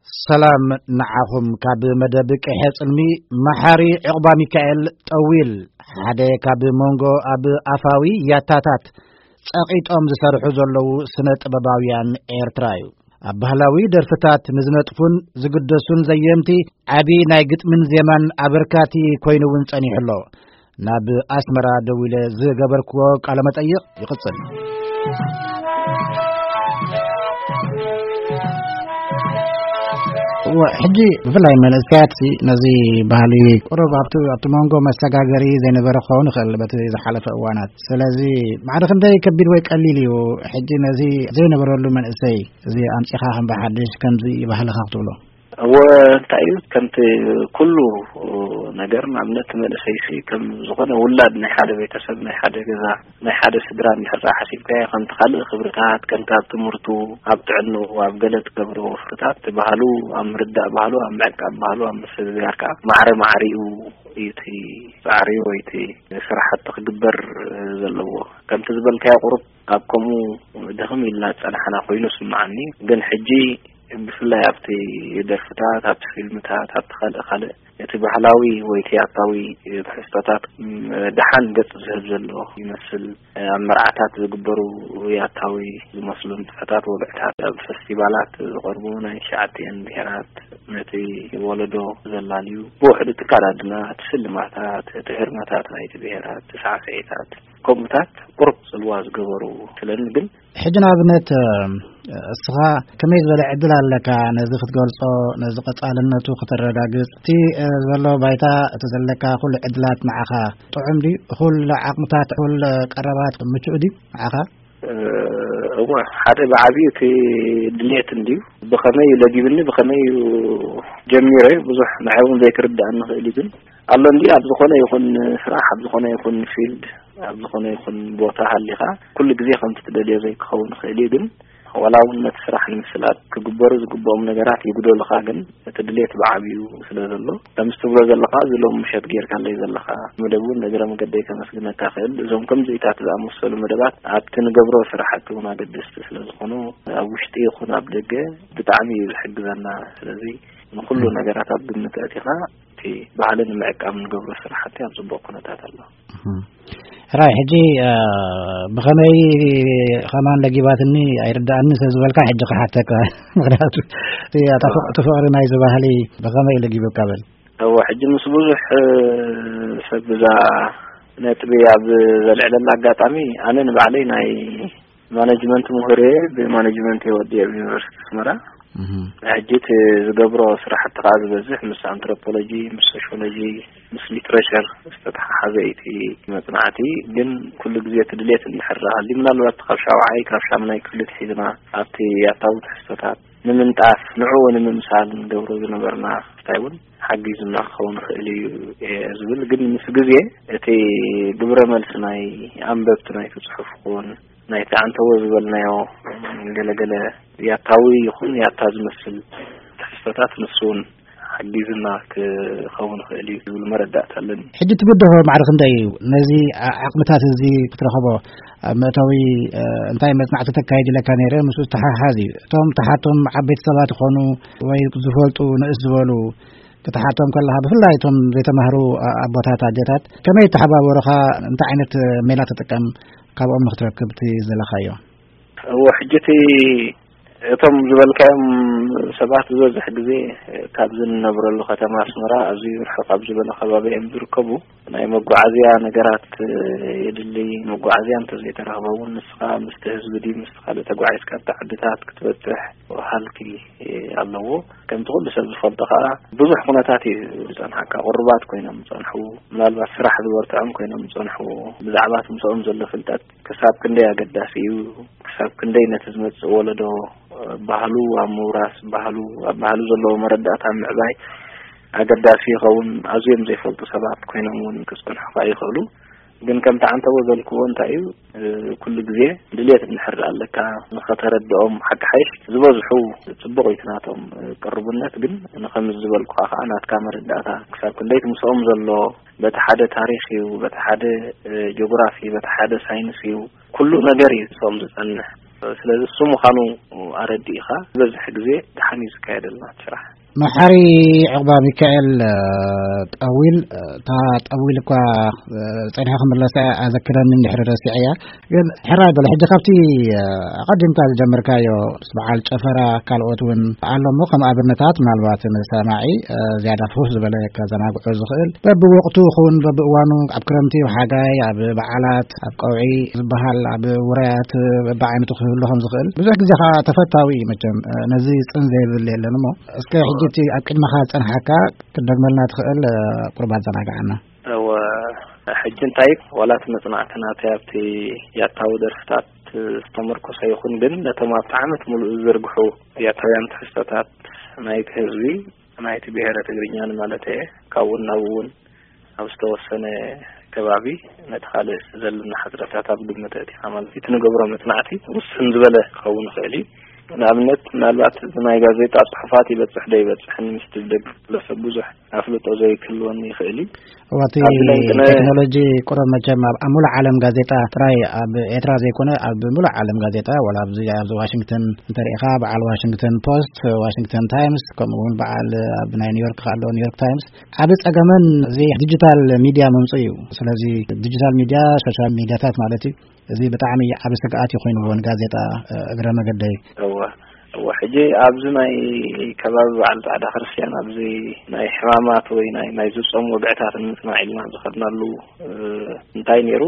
ሰላም ንዓኹም። ካብ መደብ ቀይሐ ጽልሚ መሓሪ ዕቑባ ሚካኤል ጠዊል፣ ሓደ ካብ መንጎ ኣብ ኣፋዊ ያታታት ጸቒጦም ዝሰርሑ ዘለዉ ስነ ጥበባውያን ኤርትራ እዩ። ኣብ ባህላዊ ደርፍታት ንዝነጥፉን ዝግደሱን ዘየምቲ ዓቢ ናይ ግጥምን ዜማን ኣበርካቲ ኮይኑ እውን ጸኒሑ ኣሎ። ናብ ኣስመራ ደዊለ ዝገበርክዎ ቃለ መጠይቕ ይቕጽል። እወ፣ ሕጂ ብፍላይ መንእሰያት ሲ ነዚ ባህሊ ቁሩብ ኣብቲ፣ ኣብቲ መንጎ መሰጋገሪ ዘይነበረ ክኸውን ይኽእል በቲ ዝሓለፈ እዋናት። ስለዚ ማዕረ ክንደይ ከቢድ ወይ ቀሊል እዩ ሕጂ ነዚ ዘይነበረሉ መንእሰይ እዚ ኣምጺኻ ከም ብሓድሽ ከምዚ ባህልኻ ክትብሎ? እወ፣ እንታይ እዩ፣ ከምቲ ኩሉ ነገር፣ ንኣብነት መንእሰይሲ ከም ዝኾነ ውላድ ናይ ሓደ ቤተሰብ፣ ናይ ሓደ ገዛ፣ ናይ ሓደ ስድራ እንድሕር ደኣ ሓሲብካዮ፣ ከምቲ ካልእ ክብርታት፣ ከምቲ ኣብ ትምህርቱ፣ ኣብ ጥዕንኡ፣ ኣብ ገለ ትገብሮ ወፍርታት፣ እቲ ባህሉ ኣብ ምርዳእ ባህሉ፣ ኣብ ምዕቃብ ባህሉ፣ ኣብ ምስግጋር ከኣ ማዕረ ማዕሪኡ እዩ እቲ ጻዕሪ ወይ እቲ ስራሕቲ ክግበር ዘለዎ። ከምቲ ዝበልካዮ ቁሩብ ኣብ ከምኡ ድኽም ኢልና ዝጸናሕና ኮይኑ ስምዓኒ። ግን ሕጂ ብፍላይ ኣብቲ ደርፍታት፣ ኣብቲ ፊልምታት፣ ኣብቲ ካልእ ካልእ እቲ ባህላዊ ወይ እቲ ያታዊ ትሕዝቶታት፣ ም፣ ደሓን ገጽ ዝህብ ዘሎ ይመስል። ኣብ መርዓታት ዝግበሩ ያታዊ ዝመስሉ ንጥፈታት፣ ወግዕታት፣ ኣብ ፈስቲቫላት ዝቐርቡ ናይ ትሽዓቲኣን ብሄራት ነቲ ወለዶ ዘላልዩ፣ ብውሕዱ እቲ ኣከዳድና፣ እቲ ስልማታት፣ እቲ ህርመታት ናይቲ ብሄራት፣ እቲ ሳዕስዒታት፣ ከምኡታት ቁሩብ ጽልዋ ዝገበሩ ስለኒ። ግን ሕጂ ንኣብነት፣ እ፣ እስኻ ከመይ ዝበለ ዕድል ኣለካ ነዚ ክትገልጾ፣ ነዚ ቀጻልነቱ ከተረጋግጽ? እቲ፣ እ፣ ዘሎ ባይታ፣ እቲ ዘለካ ኩሉ ዕድላት ንዓኻ ጥዑም ድዩ? ኩሉ ዓቕምታት፣ ኩሉ ቀረባት ምቹእ ድዩ ንዓኻ? እ፣ እወ፣ ሓደ ብዓቢኡ እቲ ድሌት እንድዩ። ብኸመይ ለጊብኒ፣ ብኸመይ እዩ ጀሚረ፣ ብዙሕ ንዓይ እውን ዘይክርድኣኒ ይኽእል እዩ። ግን ኣሎ እንዲ ኣብ ዝኾነ ይኹን ስራሕ፣ ኣብ ዝኾነ ይኹን ፊልድ፣ ኣብ ዝኾነ ይኹን ቦታ ሃሊኻ፣ ኩሉ ግዜ ከምቲ ትደልዮ ዘይክኸውን ይኽእል እዩ። ግን ዋላ እውን ነቲ ስራሕ ንምስላጥ ክግበሩ ዝግብኦም ነገራት ይጉደሉኻ፣ ግን እቲ ድሌት ብዓቢኡ ስለ ዘሎ፣ ከምዚ ትብሎ ዘለኻ፣ እዚ ሎም ምሸት ጌርካለይ ዘለኻ መደብ እውን፣ እግረ መገደይ ከመስግነካ ክእል። እዞም ከምዚታት ዝኣመሰሉ መደባት ኣብቲ ንገብሮ ስራሕቲ እውን ኣገደስቲ ስለ ዝኾኑ፣ ኣብ ውሽጢ ይኹን ኣብ ደገ ብጣዕሚ እዩ ዝሕግዘና። ስለዚ ንኹሉ ነገራት ኣብ ግምት ኣእቲኻ፣ እቲ ባህሊ ንምዕቃብ ንገብሮ ስራሕቲ ኣብ ጽቡቕ ኩነታት ኣሎ። እህም። ሕራይ፣ ሕጂ፣ እ፣ ብኸመይ ከማን ለጊባትኒ ኣይርድኣኒ ስለ ዝበልካ፣ ሕጂ ክሓተካ። ምኽንያቱ እቲ፣ ኣታ፣ ፍቕ-፣ እቲ ፍቕሪ ናይዚ ባህሊ ብኸመይ ለጊቡካ በል? እወ፣ ሕጂ ምስ ብዙሕ፣ እ፣ ሰብ ብዛ ነጥቢ ኣብ ዘልዕለላ ኣጋጣሚ፣ ኣነ ንባዕለይ ናይ ማኔጅመንት ምሁር እየ፣ ብማኔጅመንት እየ ወዲኤ ኣብ ዩኒቨርሲቲ ኣስመራ። እህ። ሕጂ እቲ ዝገብሮ ስራሕቲ ከኣ ዝበዝሕ ምስ ኣንትሮፖሎጂ፣ ምስ ሶሽዮሎጂ፣ ምስ ሊትሬቸር ዝተተሓሓዘ እዩ እቲ መጽናዕቲ። ግን ኩሉ ግዜ እቲ ድሌት እንድሕር ሃልዩ፣ ምናልባት ካብ ሻውዓይ፣ ካብ ሻምናይ ክፍሊ ትሒዝና ኣብቲ ያታዊ ትሕዝቶታት ንምንጣፍ፣ ንዕኡ ንምምሳል ንገብሮ ዝነበርና እንታይ እውን ሓጊዙና ክኸውን ይኽእል እዩ እየ ዝብል። ግን ምስ ግዜ እቲ ግብረ መልሲ ናይ ኣንበብቲ ናይቲ ጽሑፍ ክኸውን ናይቲ ኣንተዎ ዝበልናዮ ገለገለ ያታዊ ይኹን ያታ ዝመስል ትሕዝቶታት ንሱ እውን ሓጊዝና ክኸውን ይኽእል እዩ ዝብል መረዳእታ ኣለኒ። ሕጂ ትብድሆ ማዕረ ክንደይ እዩ? ነዚ ዓ-፣ ዓቕምታት እዚ ክትረኽቦ ኣብ መእተዊ፣ እ፣ እንታይ መጽናዕቲ ተካይድ ኢለካ ነይረ፣ ምስኡ ዝተሓሓዝ እዩ። እቶም ተሓቶም ዓበይቲ ሰባት ይኾኑ ወይ ዝፈልጡ ንእስ ዝበሉ ክትሓቶም ከለኻ፣ ብፍላይ እቶም ዘይተማህሩ ኣ-፣ ኣቦታት ኣጀታት ከመይ ተሓባበሩኻ? እንታይ ዓይነት ሜላ ትጥቀም ካብኦም ንክትረክብ እቲ ዝደለኻዮ? እዎ፣ ሕጂ እቲ እቶም ዝበልካዮም ሰባት ዝበዝሕ ግዜ ካብዚ ንነብረሉ ከተማ ኣስመራ ኣዝዩ ርሕቕ ኣብ ዝበለ ከባቢ እዮም ዝርከቡ። ናይ መጓዓዝያ ነገራት የድሊ። መጓዓዝያ እንተዘይተረኽበ እውን ንስኻ ምስቲ ህዝቢ ድዩ ምስቲ ካልእ ተጓዒዝካ ኣብቲ ዓድታት ክትበጽሕ ሃልኪ ኣለዎ። ከምቲ ኩሉ ሰብ ዝፈልጦ ከኣ ብዙሕ ኩነታት እዩ ዝጸንሓካ። ቁሩባት ኮይኖም ዝጸንሑ፣ ምናልባት ስራሕ ዝበርትዖም ኮይኖም ዝጸንሑ፣ ብዛዕባ እቲ ምስኦም ዘሎ ፍልጠት ክሳብ ክንደይ ኣገዳሲ እዩ፣ ክሳብ ክንደይ ነቲ ዝመጽእ ወለዶ ባህሉ ኣብ ምውራስ፣ ባህሉ፣ ኣብ ባህሉ ዘለዎ መረዳእታ ምዕባይ ኣገዳሲ ይኸውን። ኣዝዮም ዘይፈልጡ ሰባት ኮይኖም እውን ክጸንሑ ከኣ ይኽእሉ። ግን ከምቲ ዓንተቦ ዘልክዎ እንታይ እዩ፣ እ፣ ኩሉ ግዜ ድሌት እንድሕር ኣለካ ንኸተረድኦም፣ ሓቂ ሓይሽ ዝበዝሑ ጽቡቕ እዩ እቲ ናቶም፣ እ፣ ቅርቡነት። ግን ንኸምዚ ዝበልኩኻ ከኣ ናትካ መረዳእታ ክሳብ ክንደይ እቲ ምስኦም ዘሎ በቲ ሓደ ታሪኽ እዩ፣ በቲ ሓደ፣ እ፣ ጂኦግራፊ፣ በቲ ሓደ ሳይንስ እዩ፣ ኩሉ ነገር እዩ ምስኦም ዝጸንሕ። ስለዚ እሱ ምዃኑ ኣረዲእኻ ዝበዝሕ ግዜ ደሓን እዩ ዝካየደልና እቲ ስራሕ። መሓሪ ዕቕባ ሚካኤል፣ እ፣ ጠዊል፣ እ፣ እታ ጠዊል እኳ፣ እ፣ ጸኒሐ ክምለሳ ኣዘክረኒ እንድሕሪ ረሲዐያ። ግን ሕራይ በለ፣ ሕጂ ካብቲ፣ እ፣ ኣቐዲምካ ዝጀመርካዮ ምስ በዓል ጨፈራ ካልኦት እውን ኣሎ እሞ፣ ከም ኣብነታት ምናልባት ንሰማዒ፣ እ፣ ዝያዳ ፍኹስ ዝበለ ከዘናግዖ ዝኽእል፣ በብወቕቱ ክኸውን በብእዋኑ፣ ኣብ ክረምቲ፣ ኣብ ሓጋይ፣ ኣብ በዓላት፣ ኣብ ቀውዒ ዝበሃል፣ ኣብ ውራያት፣ በብዓይነቱ ክህሉ ከም ዝኽእል ብዙሕ ግዜ ከዓ ተፈታዊ እዩ። መቸም፣ እ፣ ነዚ ጽን ዘይብል የለን እሞ፣ እስከ ሕጂ እቲ ኣብ ቅድመኻ ዝጸንሓካ ክትደግመልና ትኽእል፣ እ፣ ቁሩብ ኣዘናግዓና። እወ፣ ሕጂ እንታይ፣ ዋላ እቲ መጽናዕቲ ናተይ ኣብቲ ያታዊ ደርፍታት ዝተመርኮሰ ይኹን፣ ግን ነቶም ኣብቲ ዓመት ሙሉእ ዝዝርግሑ ያታውያን ትሕዝቶታት ናይቲ ህዝቢ፣ ናይቲ ብሄረ ትግርኛን ማለት እየ፣ ካብኡ ናብኡ እውን ኣብ ዝተወሰነ ከባቢ ነቲ ካልእ ዘለና ሕጽረታት ኣብ ግምት ኣእቲኻ፣ ማለት እቲ ንገብሮ መጽናዕቲ ውስን ዝበለ ክኸውን ይኽእል እዩ። ንኣብነት፣ ምናልባት ናይ ጋዜጣ ጽሑፋት ይበጽሕ ዶ ይበጽሕን ምስቲ ደቂ ሰብ ብዙሕ ኣፍልጦ ዘይክህልወኒ ይኽእል እዩ። እዋቲ ኣብዚ ለንቅነ ቴክኖሎጂ ቁሩብ መቸም ኣብ፣ ኣብ ሙሉእ ዓለም ጋዜጣ ጥራይ ኣብ ኤርትራ ዘይኮነ ኣብ ሙሉእ ዓለም ጋዜጣ፣ ዋላ ኣብዚ፣ ኣብዚ ዋሽንግተን እንተሪኢኻ፣ በዓል ዋሽንግተን ፖስት፣ ዋሽንግተን ታይምስ፣ ከምኡ እውን በዓል ኣብ ናይ ኒውዮርክ ከኣ ኣሎ፣ ኒውዮርክ ታይምስ፣ ዓቢ ጸገመን እዚ ዲጂታል ሚድያ ምምጽኡ እዩ። ስለዚ ዲጂታል ሚድያ፣ ሶሻል ሚድያታት ማለት እዩ፣ እዚ ብጣዕሚ ዓቢ ስግኣት እዩ ኮይንዎ ንጋዜጣ፣ እ፣ እግረ መገደይ። እወ፣ እወ። ሕጂ ኣብዚ ናይ ከባቢ በዓል ጻዕዳ ክርስትያን፣ ኣብዚ ናይ ሕማማት ወይ ናይ፣ ናይ ዝጾም ወግዕታት ንምጽናዕ ኢልና ዝኸድናሉ፣ እ፣ እንታይ ነይሩ?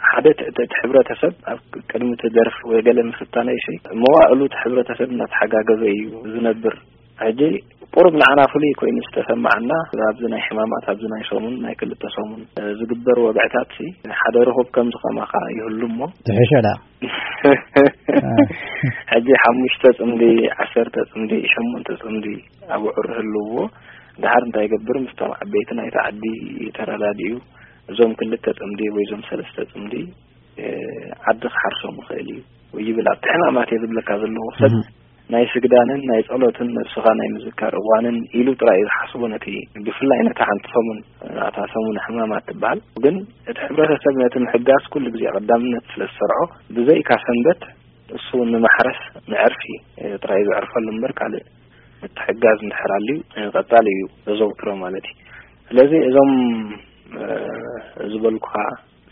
ሓደ እቲ፣ እቲ፣ እቲ ሕብረተሰብ ኣብ ቅድሚ እቲ ደርፊ ወይ ገለ ምፍታነይ ሲ፣ መዋእሉ እቲ ሕብረተሰብ እናተሓጋገዘ እዩ ዝነብር። ሕጂ ቁሩብ ንዓና ፍሉይ ኮይኑ ዝተሰማዓና፣ ኣብዚ ናይ ሕማማት፣ ኣብዚ ናይ ሰሙን፣ ናይ ክልተ ሰሙን፣ እ፣ ዝግበር ወግዕታት ሲ፣ ሓደ ርኹብ ከምዚ ከማኻ ይህሉ እሞ። ትሕሸ ደኣ። ሕጂ ሓሙሽተ ጽምዲ፣ ዓሰርተ ጽምዲ፣ ሸሞንተ ጽምዲ ኣብዑር ህልውዎ፣ ደሓር እንታይ ይገብር? ምስቶም ዓበይቲ ናይቲ ዓዲ ተረዳዲኡ፣ እዞም ክልተ ጽምዲ ወይ እዞም ሰለስተ ጽምዲ፣ እ፣ ዓዲ ክሓርሶም ይኽእል እዩ ወይ ይብል። ኣብቲ ሕማማት እየ ዝብለካ ዘለኹ ሰብ እህ። ናይ ስግዳንን ናይ ጸሎትን ነብስኻ ናይ ምዝካር እዋንን ኢሉ ጥራይ እዩ ዝሓስቦ። ነቲ ብፍላይ ነታ ሓንቲ ሰሙን፣ እታ ሰሙን ሕማማት ትበሃል። ግን እቲ ሕብረተሰብ ነቲ ምሕጋዝ ኩሉ ግዜ ቀዳምነት ስለ ዝሰርዖ፣ ብዘይካ ሰንበት እሱ ንማሕረስ ንዕርፊ ጥራይ ዘዕርፈሉ እምበር፣ ካልእ ምትሕጋዝ እንድሕር ኣልዩ ቀጻሊ እዩ ዘዘውትሮ ማለት እዩ። ስለዚ እዞም፣ እ፣ ዝበልኩኻ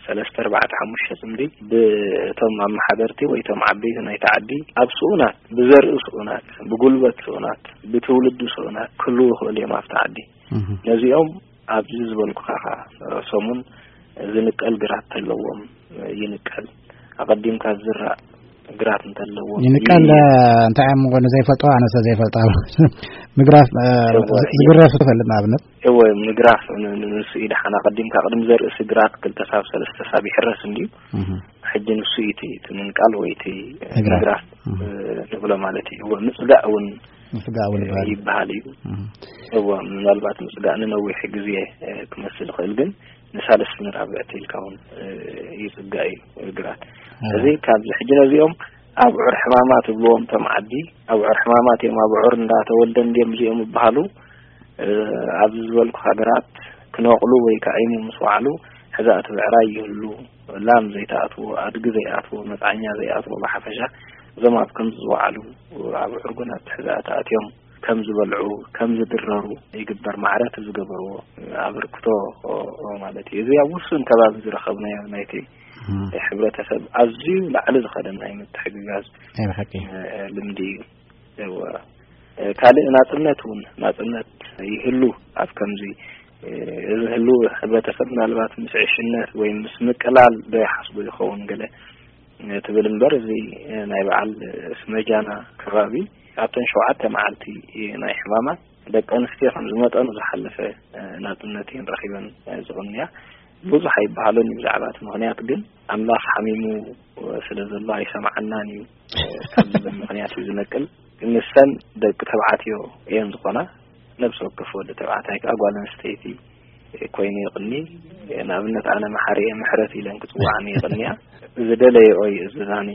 ሰለስተ፣ ኣርባዕተ፣ ሓሙሽተ ጽምዲ ብእቶም ኣመሓደርቲ ወይ እቶም ዓበይቲ ናይቲ ዓዲ ኣብ ስኡናት፣ ብዘርኢ ስኡናት፣ ብጉልበት ስኡናት፣ ብትውልዲ ስኡናት ክህልዉ ይኽእሉ እዮም ኣብቲ ዓዲ። እህ። ነዚኦም ኣብዚ ዝበልኩኻ ኸኣ ሰሙን ዝንቀል ግራት ተለዎም ይንቀል። ኣቐዲምካ ዝዝራእ ግራት እንተለዎ ይንቀል፣ ይ-፣ እንታይ እዮም ንዘይፈልጦ፣ ኣነሰ ዘይፈልጦ። ምግራፍ፣ እ፣ እወ፣ ዝ-፣ ዝግረፍ ትፈልጥ ንኣብነት? እወ፣ ምግራፍ ን-፣ ን-፣ ንሱ እዩ ደሓን። ኣቐዲምካ ቅድሚ ዘርእሲ ግራት ክልተ ሳብ ሰለስተ ሳብ ይሕረስ እንድዩ። እህ። ሕጂ ንሱ እዩ እቲ፣ እቲ ምንቃል ወይ እቲ ምግራፍ። ምግራፍ፣ እህ። እ፣ ንብሎ ማለት እዩ። እወ፣ ምጽጋእ እውን፣ ምጽጋእ እውን እ፣ ይበሃል። ይበሃል እዩ። እህ። እወ፣ ምናልባት ምጽጋእ ንነዊሕ ግዜ፣ እ፣ ክመስል ይኽእል፣ ግን ንሳልስቲ ንራብዕቲ ኢልካ እውን፣ እ፣ ይጽጋእ እዩ ግራት። እወ። እዚ ካብዚ ሕጂ ነዚኦም ኣብዑር ሕማማት ይብልዎም እቶም ዓዲ፣ ኣብዑር ሕማማት እዮም፣ ኣብዑር እንዳተወልደ እንድዮም እዚኦም ይበሃሉ። እ፣ ኣብዚ ዝበልኩ ሃገራት ክነቕሉ ወይ ክዓይሙ ምስ ወዓሉ፣ ሕዛእቲ ብዕራይ ይህሉ፣ ላም ዘይትኣትዎ፣ ኣድጊ ዘይኣትዎ፣ መጽዓኛ ዘይኣትዎ፣ ብሓፈሻ እዞም ኣብ ከምዚ ዝወዓሉ ኣብዑር ጓና ኣብቲ ሕዛእቲ ኣትዮም ከም ዝበልዑ፣ ከም ዝድረሩ ይግበር። ማዕረ እቲ ዝገበርዎ ኣበርክቶ ማለት እዩ። እዚ ኣብ ውሱን ከባቢ ዝረኸብናዮ ናይቲ እህ። ሕብረተሰብ ኣዝዩ ላዕሊ ዝኸደ ናይ ምትሕግጋዝ፣ ናይ ብሓቂ። እ፣ ልምዲ እዩ። እወ። እ፣ ካልእ ናጽነት እውን፣ ናጽነት ይህሉ ኣብ ከምዚ፣ እ፣ እዚ ህሉ ሕብረተሰብ ምናልባት ምስ ዕሽነት ወይ ምስ ምቅላል ዶ ይሓስቡ ይኸውን ገለ፣ እ፣ ትብል እምበር፣ እዚ፣ እ፣ ናይ በዓል፣ እ፣ ስመጃና ከባቢ ኣብተን ሸውዓተ መዓልቲ፣ እ፣ ናይ ሕማማት ደቂ ኣንስትዮ ከም ዝመጠኑ ዝሓለፈ፣ እ፣ ናጽነት እየን ረኺበን፣ እ፣ ዝቕንያ። ብዙሕ ኣይበሃሉን እዩ ብዛዕባ እቲ ምኽንያት፣ ግን ኣምላኽ ሓሚሙ ስለ ዘሎ ኣይሰምዓናን እዩ፣ እ፣ ካብ ዝብል ምኽንያት እዩ ዝነቅል። ንሰን ደቂ ተባዕትዮ እየን ዝኾና። ነብሲ ወከፍ ወዲ ተባዕታይ ከኣ ጓል ኣንስተይቲ ኮይኑ ይቕኒ። ንኣብነት ኣነ መሓሪኤ ምሕረት ኢለን ክጽውዓኒ ይቕንያ። ዝደለየኦ ይእዝዛኒ፣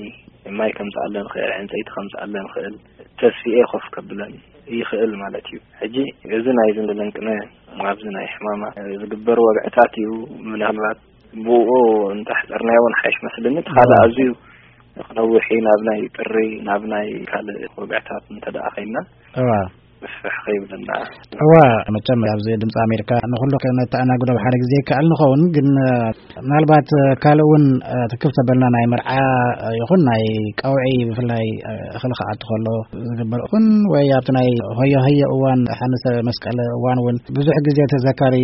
ማይ ከምጽኣለን ይኽእል፣ ዕንጸይቲ ከምጽኣለን ይኽእል፣ ተስፊኤ ኮፍ ከብለን ይኽእል ማለት እዩ። ሕጂ እዚ ናይዚ ንለንቅነ ኣብዚ ናይ ሕማማ ዝግበር ወግዕታት እዩ። ምናልባት ብኡ እንተሕጸርናዮ እውን ሓይሽ መስልኒ። እቲ ካልእ ኣዝዩ ክነውሕ እዩ፣ ናብ ናይ ጥሪ፣ ናብ ናይ ካልእ ወግዕታት እንተ ደኣ ኸይድና እዋ። ምስፍሕ ኸይብለና። እዋ፣ መቸም ኣብዚ ድምፂ ኣሜሪካ ንኹሉ ከነተኣናግዶ ሓደ ግዜ ይከኣል ንኸውን፣ ግን ምናልባት ካልእ እውን ትክብ ተበልና ናይ መርዓ ይኹን ናይ ቀውዒ ብፍላይ እኽሊ ክኣቱ ከሎ ዝግበር ይኹን ወይ ኣብቲ ናይ ሆዮ ሆዮ እዋን ሓንሰ መስቀል እዋን እውን ብዙሕ ግዜ ተዘካሪ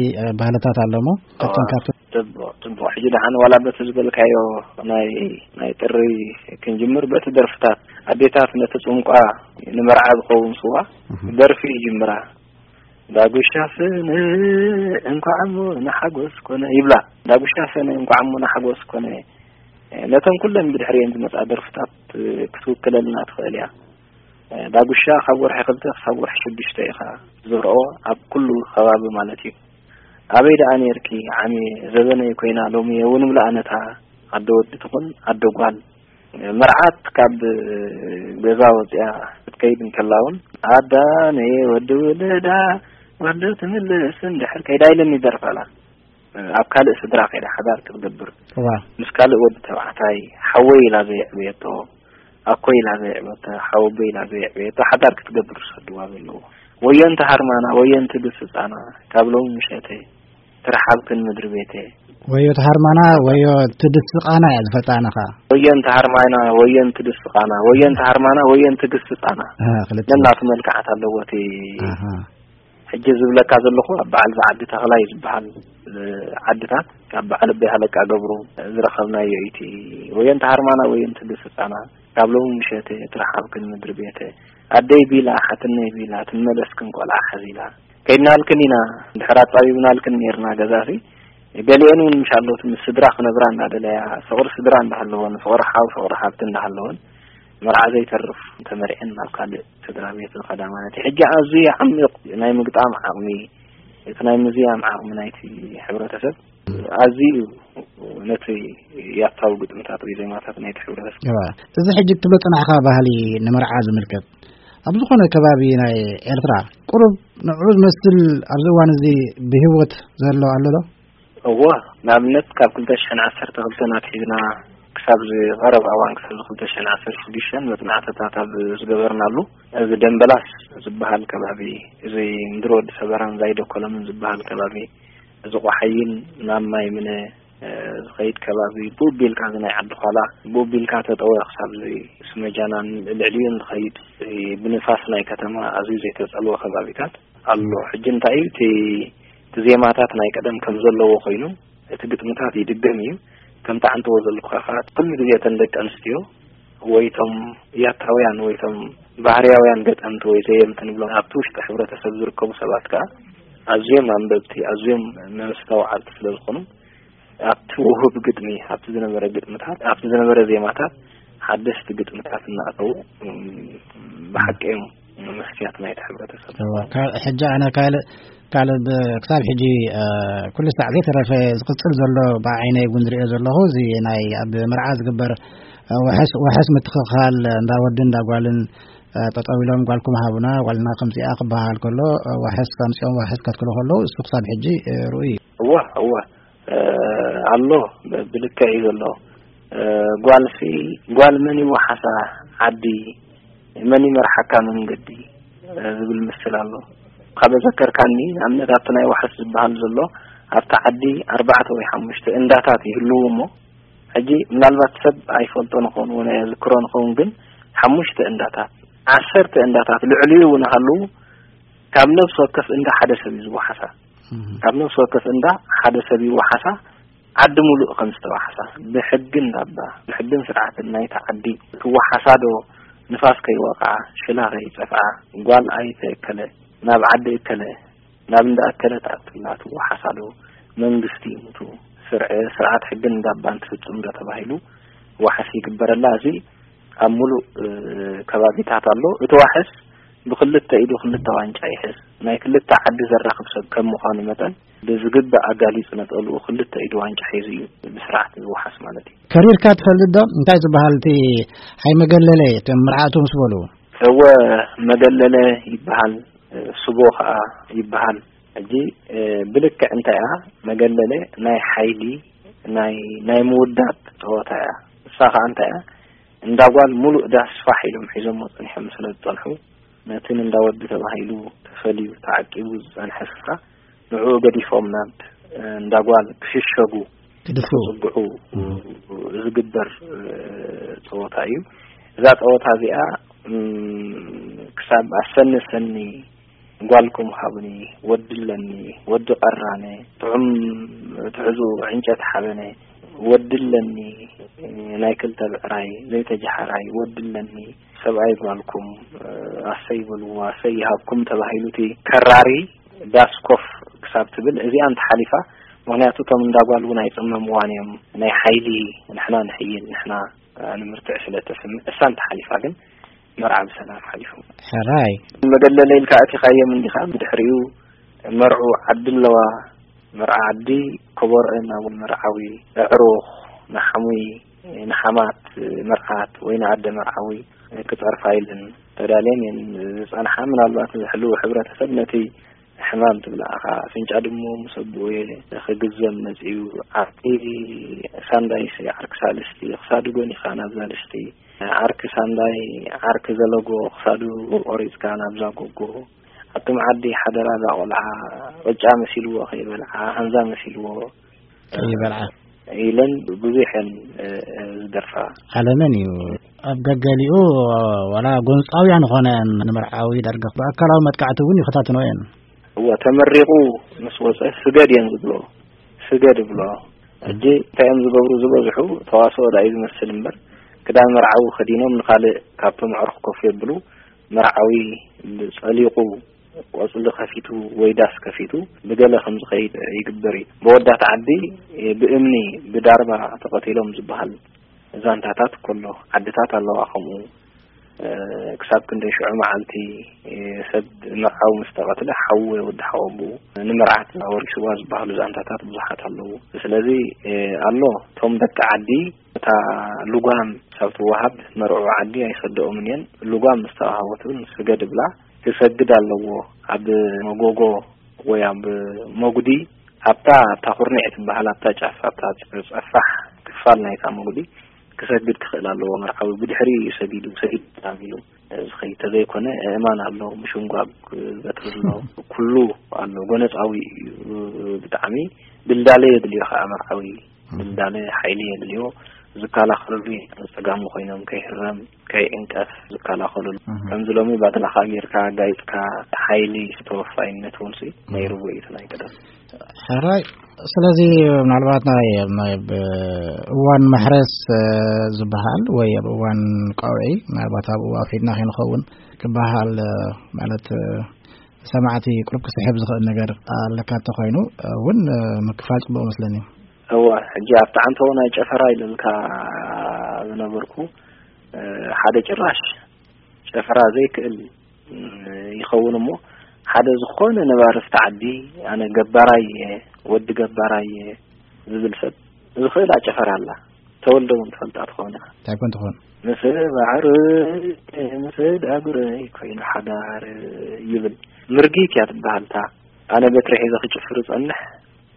ባህልታት ኣሎ እሞ ካብቶም እዋ። ካብቶም ጽቡቕ፣ ጽቡቕ። ሕጂ ደሓን ዋላ በቲ ዝበልካዮ ናይ፣ ናይ ጥሪ ክንጅምር፣ በቲ ደርፍታት ኣዴታት ነቲ ጽምቋ ንመርዓ ዝኸውን ስዋ እህ። ደርፊ ይጅምራ። ዳጉሻ ሰነ እንኳዕ እሞ ንሓጎስ ኮነ ይብላ። ዳጉሻ ሰነ እንኳዕ እሞ ንሓጎስ ኮነ። ነተን ኩለን ብድሕሪየን ዝመጻ ደርፍታት ክትውክለልና ትኽእል እያ። ዳጉሻ ካብ ወርሒ ክልተ ክሳብ ወርሒ ሽዱሽተ ኢኻ ትዘርኦ፣ ኣብ ኩሉ ከባቢ ማለት እዩ። ኣበይ ደኣ ኔርኪ ዓሚ ዘበነይ ኮይና ሎሚ የውን እምለኣ ነታ ኣደ ወዲ ትኹን ኣደ ጓል። መርዓት ካብ ገዛ ወፂኣ ክትከይድ እንከላ እውን ኣዳ ነየ ወዲ ውልዳ ወዲ ትምልስ እንድሕር ከይዳ ኢለን ይደርፋላ። ኣብ ካልእ ስድራ ከይዳ ሓዳር ክትገብር እዋ። ምስ ካልእ ወዲ ተባዕታይ ሓወይ ኢላ ዘየዕበየቶ ኣኮ ኢላ ዘየዕበየቶ ሓወቦ ኢላ ዘየዕበየቶ ሓዳር ክትገብር ዝሰድዋ ዘለዉ። ወዮ እንተ ሃርማና ወዮ እንተ ድስጻና ካብ ሎሚ ምሸተ ትርሓብክን ምድሪ ቤተ። ወዮ ተሃርማና ወዮ ትድስቃና እያ ዝፈጣና ኸኣ። ወዮ እንተ ሃርማና ወዮ እንተ ድስቃና ወዮ እንተ ሃርማና ወዮ እንተ ድስጻና። ኣሃ፣ ክልተ። ነናቱ መልክዓት ኣለዎ እቲ ኣሃ። ሕጂ ዝብለካ ዘለኹ ኣብ በዓል ዝዓዲ ተኽላይ ዝበሃል፣ እ፣ ዓድታት ካብ በዓል ኣቦይ ሃለቃ ገብሩ ዝረኸብናዮ እዩ። እቲ ወዮ እንተ ሃርማና ወዮ እንተ ድስቃና ካብ ሎሚ ምሸተ ትርሓብክን ምድሪ ቤተ። ኣደይ ቢላ ሓትነይ ቢላ ትመለስክን ቆልዓ ሓዚላ። ከይድናልክን ኢና፣ እንድሕር ኣጻቢብናልክን ኔርና ገዛሲ፣ ገሊአን እውን ምሻሎት ምስ ስድራ ክነብራ እንዳደለያ፣ ፍቕሪ ስድራ እንዳሃለወን፣ ፍቕሪ ሓው፣ ፍቕሪ ሓብቲ እንዳሃለወን፣ መርዓ ዘይተርፍ ተመርዐን ናብ ካልእ ስድራ ቤት ዝኸዳ ማለት እዩ። ሕጂ ኣዝዩ ዓሚቕ ናይ ምግጣም ዓቕሚ፣ እቲ ናይ ምዝያም ዓቕሚ ናይቲ ሕብረተሰብ ኣዝዩ እዩ ነቲ ያታዊ ግጥምታት ወይ ዜማታት ናይቲ ሕብረተሰብ። እዋ፣ እዚ ሕጂ እትብሎ ጽናሕካ ባህሊ ንመርዓ ዝምልከት፣ ኣብ ዝኾነ ከባቢ ናይ ኤርትራ ቁሩብ ንዕኡ ዝመስል ኣብዚ እዋን እዚ ብህይወት ዘሎ ኣሎ ዶ? እወ፣ ንኣብነት ካብ ክልተ ሽሕን ዓሰርተ ክልተን ኣትሒዝና ክሳብ እዚ ቀረባ እዋን፣ ክሳብ እዚ ክልተ ሽሕን ዓሰርተ ሽዱሽተን መጽናዕትታት ኣብ ዝገበርናሉ፣ እዚ ደምበላስ ዝበሃል ከባቢ፣ እዚ ምድሪ ወዲ ሰበራን ዛይዶ ኮለምን ዝበሃል ከባቢ፣ እዚ ቆሓይን ናብ ማይ ምነ፣ እ፣ ዝኸይድ ከባቢ፣ ብኡ ቢልካ እዚ ናይ ዓዲ ዃላ፣ ብኡ ቢልካ ተጠወ ክሳብ እዚ ስመጃናን ልዕሊኡን ዝኸይድ፣ እ፣ ብንፋስ ናይ ከተማ ኣዝዩ ዘይተጸልወ ከባቢታት ኣሎ። ሕጂ እንታይ እዩ እቲ፣ እቲ ዜማታት ናይ ቀደም ከም ዘለዎ ኮይኑ፣ እቲ ግጥምታት ይድገም እዩ። ከምቲ ዓንተዎ ዘለኩኻ ከኣ፣ ኩሉ ግዜ እተን ደቂ ኣንስትዮ ወይ እቶም ያታውያን ወይ እቶም ባህርያውያን ገጠምቲ ወይ ዘየምቲ ንብሎም ኣብቲ ውሽጢ ሕብረተሰብ ዝርከቡ ሰባት ከኣ ኣዝዮም ኣንበብቲ፣ ኣዝዮም መስተውዓልቲ ስለ ዝኾኑ፣ ኣብቲ ውሁብ ግጥሚ፣ ኣብቲ ዝነበረ ግጥምታት፣ ኣብቲ ዝነበረ ዜማታት ሓደስቲ ግጥምታት እናእተዉ፣ እም፣ ብሓቂ እዮም መስትያት ናይቲ ሕብረተሰብ እዋ፣ ዝኾኑ። ካብ ሕጂ ኣነ ካልእ፣ ካልእ ብ-፣ ክሳብ ሕጂ፣ እ፣ ኩሉ ሳዕ ዘይተረፈ ዝቕጽል ዘሎ ብዓይነይ እውን ዝርእዮ ዘለኹ፣ እዚ ናይ ኣብ መርዓ ዝግበር፣ እ፣ ዋሕስ፣ ዋሕስ ምትኽኻል እንዳ ወድን እንዳ ጓልን፣ እ፣ ጠጠው ኢሎም ጓልኩም ሃቡና፣ ጓልና ከምዚኣ ክበሃል ከሎ፣ እ፣ ዋሕስ ኣምጺኦም ዋሕስ ከትክሉ ከለዉ፣ እሱ ክሳብ ሕጂ፣ እ፣ ርኡይ እዩ። እዋ፣ እዋ። እ፣ ኣሎ፣ ብ-፣ ብልክዕ እዩ ዘሎ። እ፣ ጓልሲ፣ ጓል መን ይወሓሳ ዓዲ፣ መን ይመርሓካ መንገዲ፣ እ፣ ዝብል ምስል ኣሎ። ካብ ዘከርካኒ፣ ንኣብነት ኣብቲ ናይ ዋሕስ ዝበሃል ዘሎ፣ ኣብቲ ዓዲ ኣርባዕተ ወይ ሓሙሽተ እንዳታት ይህልዉ እሞ፣ ሕጂ ምናልባት ሰብ ኣይፈልጦን ይኸውን፣ ወይ ኣየዝክሮን ይኸውን፣ ግን ሓሙሽተ እንዳታት፣ ዓሰርተ እንዳታት፣ ልዕሊኡ እውን ሃልዉ፣ ካብ ነፍሲ ወከፍ እንዳ ሓደ ሰብ እዩ ዝወሓሳ። እህ። ካብ ነፍሲ ወከፍ እንዳ ሓደ ሰብ ይወሓሳ፣ ዓዲ ሙሉእ ከም ዝተወሓሳ፣ ብሕጊ እንዳባ፣ ብሕግን ስርዓትን ናይታ ዓዲ ትወሓሳ ዶ፣ ንፋስ ከይወቕዓ፣ ሽላ ከይጸፍዓ፣ ጓል ኣይተ እከለ፣ ናብ ዓዲ እከለ፣ ናብ እንዳ እከለ ትኣቱላ ትወሓሳ ዶ፣ መንግስቲ ይሙቱ፣ ስርዐ-፣ ስርዓት ሕግን እንዳባን ትፍጽም ዶ ተባሂሉ ዋሕስ ይግበረላ። እዚ ኣብ ሙሉእ፣ እ፣ ከባቢታት ኣሎ። እቲ ዋሕስ ብክልተ ኢዱ ክልተ ዋንጫ ይሕዝ። ናይ ክልተ ዓዲ ዘራኽብ ሰብ ከም ምዃኑ መጠን፣ ብዝግባእ ኣጋሊጹ ነጠልኡ ክልተ ኢዱ ዋንጫ ሒዙ እዩ ብስርዓት ዝወሓስ ማለት እዩ። ከሪርካ ትፈልጥ ዶ? እንታይ ዝበሃል እቲ ሓይ መገለለ፣ እቶም መርዓቱ ምስ በሉ? እወ፣ መገለለ ይበሃል፣ እ፣ ስቦ ኸኣ ይበሃል። ሕጂ፣ እ፣ ብልክዕ እንታይ እያ? መገለለ ናይ ሓይሊ፣ ናይ፣ ናይ ምውዳብ ጸወታ እያ። እሳ ኸኣ እንታይ እያ? እንዳ ጓል ሙሉእ ዳስ ፋሕ ኢሎም ሒዞሞ ጸኒሖም ስለ ዝጸንሑ፣ ነቲ ንእንዳ ወዲ ተባሂሉ ተፈልዩ ተዓቂቡ ዝጸንሐ ስፍራ ንዕኡ ገዲፎም ናብ እንዳ ጓል ክሽሸጉ ክድፍኡ። ክጽግዑ ዝግበር ጸወታ እዩ። እዛ ጸወታ እዚኣ ክሳብ ኣሰኒ ሰኒ፣ ጓልኩም ሃቡኒ፣ ወዲ ኣለኒ፣ ወዲ ቀራነ፣ ጥዑም ትሕዙ ዕንጨት ሓበነ፣ ወዲ ኣለኒ፣ ናይ ክልተ ብዕራይ ዘይተጀሓራይ፣ ወዲ ኣለኒ፣ ሰብኣይ ጓልኩም ኣሰይ በልዎ፣ ኣሰይ ይሃብኩም ተባሂሉ እቲ ከራሪ ዳስ ኮፍ ክሳብ ትብል እዚኣ እንተሓሊፋ፣ ምኽንያቱ እቶም እንዳ ጓል እውን ኣይጽመምዋን እዮም። ናይ ሓይሊ፣ ንሕና ንሕይል፣ ንሕና ንምርትዕ ስለ እተስምዕ፣ እሳ እንተሓሊፋ ግን መርዓ ብሰላም ሓሊፉ። ሕራይ። መገለለ ኢልካ ኣቲኻዮም እንዲኻ፣ ብድሕሪኡ መርዑ ዓዲ ኣለዋ። መርዓ ዓዲ ከበሮኤን ናብ መርዓዊ፣ ኣዕሩኽ፣ ንሓሙይ፣ ንሓማት መርዓት ወይ ንኣደ መርዓዊ ክጸርፋ ኢለን ተዳልየን እየን ዝጸንሓ። ምናልባት ዝሕልው ሕብረተሰብ ነቲ ሕማም ትብላዕኻ፣ ኣፍንጫ ድሙ ምስ ኣቦኡየ ክግዘም መጺኡ፣ ዓርኪ ሳንዳይስ፣ ዓርኪ ሳልስቲ፣ ክሳዱ ጎኒኻ ናብዛ ድስቲ፣ ዓርኪ ሳንዳይ፣ ዓርኪ ዘለጎ፣ ክሳዱ ቆሪጽካ ናብዛ ጎጎ፣ ኣቱም ዓዲ ሓደራ እዛ ቆልዓ፣ ቅጫ መሲልዎ ከይበልዓ፣ ሃንዛ መሲልዎ ከይበልዓ። ኢለን ብዙሕ እየን፣ እ፣ እ፣ ዝደርፋ። ዓለመን እዩ። ኣብ ገገሊኡ ዋላ ጎንጻውያን ኾነ ንመርዓዊ ዳርጋ ብኣካላዊ መጥቃዕቲ እውን ይኸታትኖ እየን። እወ፣ ተመሪቑ ምስ ወጸ ስገድ እየን ዝብሎ። ስገድ ብሎ። ሕጂ እንታይ እዮም ዝገብሩ ዝበዝሑ? ተዋስኦ ዳኣ እዩ ዝመስል እምበር፣ ክዳን መርዓዊ ከዲኖም ንኻልእ ካብቶም ኣዕሩኽ ኮፍ የብሉ። መርዓዊ ጸሊቑ ቆጽሊ ከፊቱ ወይ ዳስ ከፊቱ ብገለ ከም ዝኸይድ ይግበር እዩ። ብወዳት ዓዲ ብእምኒ ብዳርባ ተቐቲሎም ዝበሃል ዛንታታት ከሎ፣ ዓድታት ኣለዋ ከምኡ። እ፣ ክሳብ ክንደይ ሽዑ መዓልቲ፣ እ፣ ሰብ መርዓዊ ምስ ተቐትለ ሓዉ ወይ ወዲ ሓወቦኡ ንመርዓት ኣወሪስዋ ዝበሃሉ ዛንታታት ብዙሓት ኣለዉ። ስለዚ፣ እ፣ ኣሎ፣ እቶም ደቂ ዓዲ እታ ልጓም ክሳብ ትወሃብ መርዑ ዓዲ ኣይሰደኦምን እየን። ልጓም ምስ ተዋሃቦት እውን ስገድ ብላ ክሰግድ ኣለዎ። ኣብ መጎጎ ወይ ኣብ መጉዲ፣ ኣብታ፣ ኣብታ ኩርኒዕ ትበሃል፣ ኣብታ ጫፍ፣ ኣብታ ጸፋሕ ክፋል ናይታ መጉዲ ክሰግድ ክኽእል ኣለዎ። መርዓዊ ብድሕሪኡ እዩ ሰጊዱ፣ ሰጊድ ተባሂሉ ዝኸይድ ተዘይኮነ፣ ኣእማን ኣሎ፣ ምሽንጓግ በትሪ ኣሎ፣ ኩሉ ኣሎ። ጎነጻዊ እዩ። ብጣዕሚ ድልዳለ የድልዮ ከዓ መርዓዊ። ድልዳለ ሓይሊ የድልዮ። ዝከላኸልሉ ጸጋሙ ኮይኖም ከይህረም፣ ከይዕንቀፍ ዝከላኸልሉ። እህ። ከምዚ ሎሚ ባትላኻ ጌርካ፣ ጋይጽካ፣ ሓይሊ ተወፋይነት እውን ሲ ናይ ርቡዕ እዩ እቲ ናይ ቀደም። ሕራይ። ስለዚ ምናልባት ናይ፣ ናይ ብ-፣ እዋን መሕረስ፣ እ፣ ዝበሃል ወይ ኣብ እዋን ቀውዒ፣ ምናልባት ኣብኡ ኣፍሪድና ከይንኸውን ክበሃል፣ እ፣ ማለት፣ እ፣ ሰማዕቲ ቁሩብ ክስሕብ ዝኽእል ነገር ኣለካ እንተኾይኑ፣ እ፣ እውን፣ እ፣ ምክፋል ጽቡቕ መስለኒ። እወ፣ ሕጂ ኣብቲ ዓንተቦ ናይ ጨፈራ ኢለልካ ዝነበርኩ፣ እ፣ ሓደ ጭራሽ ጨፈራ ዘይክእል፣ እ፣ ይኸውን እሞ፣ ሓደ ዝኾነ ነባሪ ኣብቲ ዓዲ፣ ኣነ ገባራይ እየ፣ ወዲ ገባራይ እየ ዝብል ሰብ ዝኽእል ኣጨፈራ ኣላ። ተወልደ እውን ትፈልጣ ትኸውን ኢኻ። እንታይ ኮን ትኾን? ምስ ባዕሪ፣ ምስ ዳጉረይ ኮይኑ ሓዳር ይብል። ምርጊት እያ ትበሃል እታ። ኣነ በትሪ ሒዘ ክጭፍር እጸንሕ፣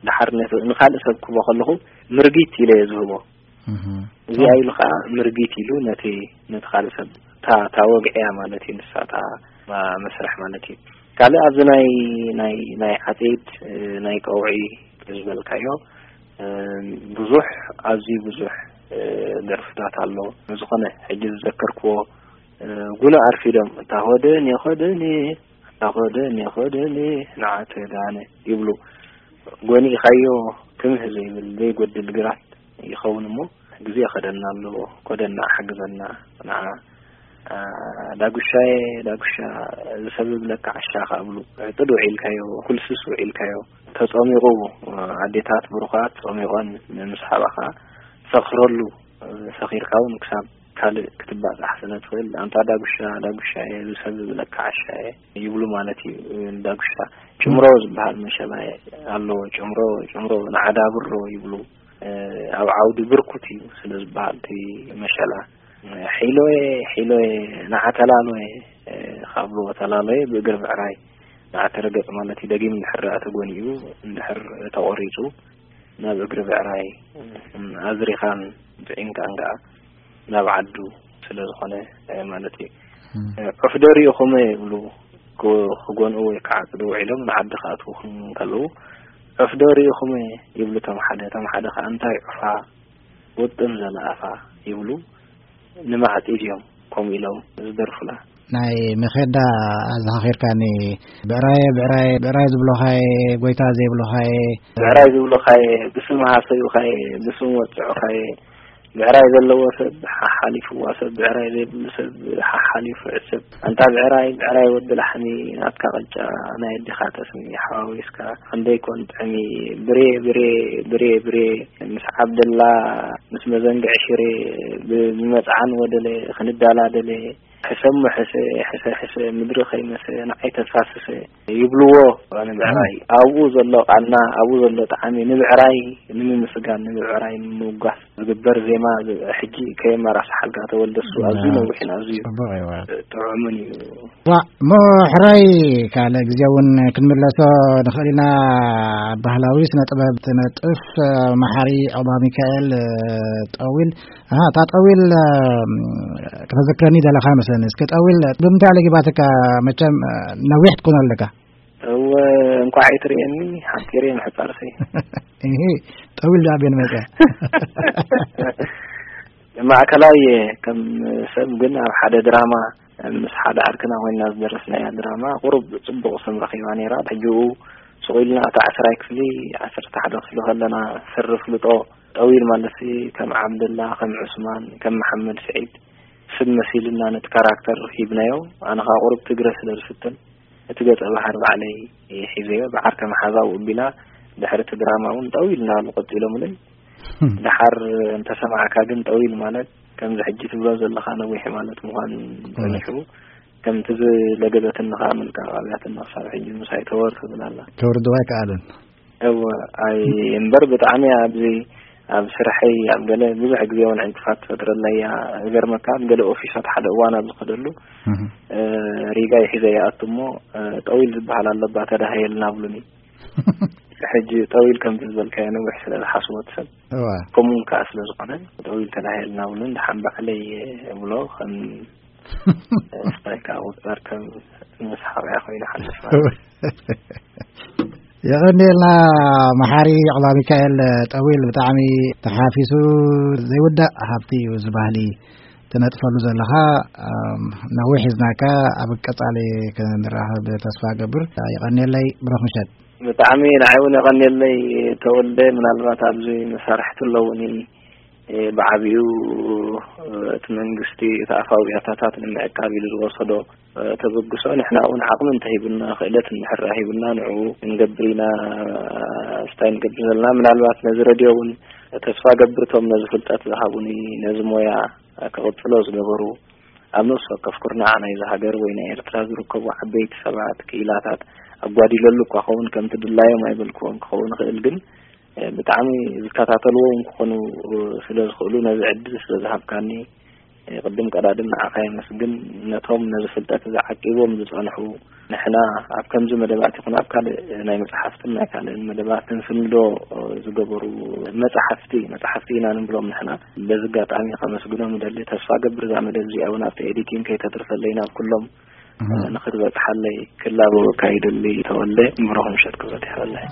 ድሓር ነቲ፣ ንኻልእ ሰብ ክህቦ ከለኹ ምርጊት ኢለ እየ ዝህቦ። እህ። እዚኣ ኢሉ ኸዓ ምርጊት ኢሉ ነቲ፣ ነቲ ካልእ ሰብ፣ እታ፣ እታ ወግዒ እያ ማለት እዩ፣ ንሳ እታ ማ-፣ መስርሕ ማለት እዩ። ካልእ ኣብዚ ናይ፣ ናይ፣ ናይ ዓጼት፣ እ፣ ናይ ቀውዒ ዝበልካዮ፣ እ፣ ብዙሕ፣ ኣዝዩ ብዙሕ፣ እ፣ ደርፍታት ኣሎ። ዝኾነ ሕጂ ዝዘከርክዎ፣ እ፣ ጉና ኣርፊዶም፣ እታ ኾደን የኾደን፣ ኣታ ኾደን የኾደን፣ ንዓተ ዳነ ይብሉ። ጎኒእኻዮ ክምህ ዘይብል ዘይጎድል ግራት ይኸውን እሞ፣ ግዜ ኸደና ኣሎ፣ ኮደና ሓግዘና፣ ንዓ፣ አ፣ ዳጉሻየ፣ ዳጉሻ፣ ዝሰብብ ለካ ዓሻ ኸኣ ብሉ። ጥድ ውዒልካዮ፣ ኩልስስ ውዒልካዮ። ተጸሚቑ፣ ኣዴታት ብሩኻት ጸሚቖን ንምስሓባ ኸኣ ሰኽረሉ፣ ሰኺርካ እውን ክሳብ ካልእ ክትባጻሕ ስለ ትኽእል፣ ኣንታ ዳጉሻ፣ ዳጉሻየ፣ ዝሰብብ ለካ ዓሻየ ይብሉ ማለት እዩ። ዳጉሻ ጭምሮ ዝበሃል መሸላ ኣሎ። ጭምሮ፣ ጭምሮ፣ ንዓዳብሮ ይብሉ። ኣብ ዓውዲ ብርኩት እዩ ስለ ዝበሃል እቲ መሸላ። ሒሎየ፣ ሒሎየ፣ ንዓ ተላሎየ ካብ ብልዎ፣ ተላሎየ ብእግሪ ብዕራይ ንዓ ተረገጽ ማለት እዩ። ደጊም እንድሕር ደኣ ተጎኒኡ፣ እንድሕር ተቖሪጹ፣ ናብ እግሪ ብዕራይ ኣዝሪኻን ጥዒምካን ከኣ ናብ ዓዱ ስለ ዝኾነ ማለት እዩ። ዑፍ ዶ ርኢኹም ይብሉ፣ ክጎንኡ ወይ ክዓጽዱ ውዒሎም ንዓዲ ክኣትዉ ከለዉ፣ ዑፍ ዶ ርኢኹም ይብሉ እቶም ሓደ፣ እቶም ሓደ ከዓ እንታይ ዑፋ ውጥም ዘለኣፋ ይብሉ። ንማዕጺድ እዮም ከምኡ ኢሎም ዝደርፉላ። ናይ መኼዳ ኣዘኻኺርካኒ። ብዕራየ ብዕራየ ብዕራይ ዝብሎኻየ፣ ጎይታ ዘይብሎኻየ። ብዕራይ ዝብሎኻየ፣ ብስም ሃሰዩኻየ፣ ብስም ወጽዑኻየ። ብዕራይ ዘለዎ ሰብ ሓሓሊፍዋ ሰብ፣ ብዕራይ ዘይብሉ ሰብ ሓሓሊፉ ዕስብ። ኣንታ ብዕራይ፣ ብዕራይ ወዲ ላሕሚ፣ ናትካ ቅጫ ናይ ኣዴኻ ጠስሚ ሓዋዊስካ፣ ክንደይ ኮን ጥዕሚ። ብሬ ብሬ ብሬ ብሬ፣ ምስ ዓብደላ፣ ምስ መዘንግዕ ሽሬ፣ ብ- ብመጽዓን ወደለ ክንዳላደለ። ሕሰሞ ሕሰ፣ ሕሰ ሕሰ፣ ምድሪ ከይመሰ ንዓይ ተፋስሰ ይብልዎ። ንብዕራይ ኣብኡ ዘሎ ቃና፣ ኣብኡ ዘሎ ጣዕሚ፣ ንብዕራይ ንምምስጋን፣ ንብዕራይ ንምውጋስ ዝግበር ዜማ። ሕጂ ከየመራስሓልካ ተወልደ፣ እሱ ኣዝዩ ነዊሕን ኣዝዩ ጥዑምን እዩ። ዋ፣ እሞ ሕራይ ካልእ ግዜ እውን ክንምለሶ ንኽእል ኢና። ባህላዊ ስነ ጥበብ ትነጥፍ መሓሪ ዑቕባ ሚካኤል ጠዊል። ኣሃ፣ እታ ጠዊል ከተዘክረኒ ደለኻ መስለኒ። እስከ ጠዊል ብምንታይ ለጊባትካ? መቸም ነዊሕ ትኮኖ ኣለካ። እወ፣ እንኳዕ ኣይትርእየኒ፣ ሓፂር እየ ምሕፃርሲ። እሂ፣ ጠዊል ዶ ኣበይ ንመፀ? ማእከላይ እየ። ከም ሰብ ግን ኣብ ሓደ ድራማ ምስ ሓደ ዓርክና ኮይና ዝደረስናያ ድራማ ቁሩብ ጽቡቕ ስም ረኺባ ነይራ። ሕጂኡ ስቕ ኢልና እታ ዓስራይ ክፍሊ፣ ዓሰርተ ሓደ ክፍሊ ከለና ስሪ ፍልጦ ጠዊል ማለትሲ ከም ዓብደላ፣ ከም ዑስማን፣ ከም መሓመድ ስዒድ ስም መሲልና ነቲ ካራክተር ሂብናዮ። ኣነ ኸኣ ቁሩብ ትግረ ስለ ዝፍትን እቲ ገጸ ባህሪ ባዕለይ ሒዘዮ። ብዓርከ መሓዛው እቢላ ድሕሪ እቲ ድራማ እውን ጠዊል እናበሉ ቀጺሎምለይ። ደሓር እንተሰማዕካ ግን ጠዊል ማለት ከምዚ ሕጂ ትብሎ ዘለኻ ነዊሕ ማለት ምዃኑ ጸኒሑ፣ ከምቲ ዝለገበትኒ ከኣ ምልቃቕ ኣብያትኒ ክሳብ ሕጂ ምሳይ ተወር ትብል ኣላ። ተወርድዋ ኣይከኣለን። እወ፣ ኣይ እምበር ብጣዕሚ ኣብዚ ኣብ ስርሐይ ኣብ ገለ ብዙሕ ግዜ እውን ዕንቅፋት ትፈጥረለይ እያ። ዝገርመካ ኣብ ገለ ኦፊሳት ሓደ እዋን ኣብ ዝኸደሉ፣ እህ። እ፣ ሪጋ ይሒዘ ይኣቱ እሞ፣ እ፣ ጠዊል ዝበሃል ኣሎ እባ ተዳሃየልና ብሉኒ። ሕጂ ጠዊል ከምቲ ዝበልካዮ ነዊሕ ስለ ዝሓስቦ እቲ ሰብ፣ እዋ። ከምኡ እውን ከኣ ስለ ዝኾነ፣ ጠዊል ተዳሃየልና ብሉኒ። ደሓን ባዕለይ እብሎ፣ ከም ስታይ ከኣ ቁጽር ከም ምስ ሓውያ ኮይኑ ሓልፍ ማለት። የቐንየልና መሓሪ ዑቕባ ሚካኤል ጠዊል፣ ብጣዕሚ ተሓፊሱ ዘይውዳእ ሃብቲ እዩ እዚ ባህሊ ትነጥፈሉ ዘለኻ። ኣም፣ ነዊሕ ሒዝናካ፣ ኣብ ቀጻሊ ክንራኸብ ተስፋ ገብር። የቐንየለይ፣ ብሩኽ ምሸት። ብጣዕሚ ንዓይ እውን የቐንየለይ ተወልደ። ምናልባት ኣብዚ መሳርሕቲ ኣለውኒ፣ እ፣ ብዓቢኡ፣ እ፣ እቲ መንግስቲ እቲ ኣፋዊ ያታታት ንምዕቃብ ኢሉ ዝወሰዶ፣ እ፣ ተበግሶ፣ ንሕና እውን ዓቕሚ እንተሂቡና፣ ክእለት እንድሕር ሂቡና፣ ንዕኡ ክንገብር ኢና፣ ስታይ ንገብር ዘለና። ምናልባት ነዚ ረድዮ እውን ተስፋ ገብር፣ እቶም ነዚ ፍልጠት ዝሃቡኒ፣ ነዚ ሞያ ክቕጽሎ ዝገበሩ፣ ኣብ ነፍሲ ወከፍ ኩርናዕ ናይዚ ሃገር ወይ ናይ ኤርትራ ዝርከቡ ዓበይቲ ሰባት፣ ክኢላታት፣ ኣጓዲለሉ እኳ ኸውን፣ ከምቲ ድላዮም ኣይበልክዎን ክኸውን ይኽእል፣ ግን፣ እ፣ ብጣዕሚ ዝከታተልዎ እውን ክኾኑ፣ እ፣ ስለ ዝኽእሉ፣ ነዚ ዕድል ስለ ዝሃብካኒ፣ እ፣ ቅድም ቀዳድም ንዓኻ የመስግን። ነቶም ነዚ ፍልጠት እዚ ዓቂቦም ዝጸንሑ፣ ንሕና ኣብ ከምዚ መደባት ይኹን ኣብ ካልእ ናይ መጽሓፍትን ናይ ካልእን መደባት ክንስንዶ ዝገበሩ መጽሓፍቲ፣ መጽሓፍቲ ኢና ንብሎም ንሕና። በዚ ኣጋጣሚ ከመስግኖም እደሊ። ተስፋ ገብር እዛ መደብ እዚኣ እውን ኣብቲ ኤዲቲንግ ከይተትርፈለይ ናብ ኩሎም እህ። ንኽትበጽሓለይ ክላበወካ ይደሊ ተወልደ። ብሩኽ ምሸት ክብረት ይሃበለይ።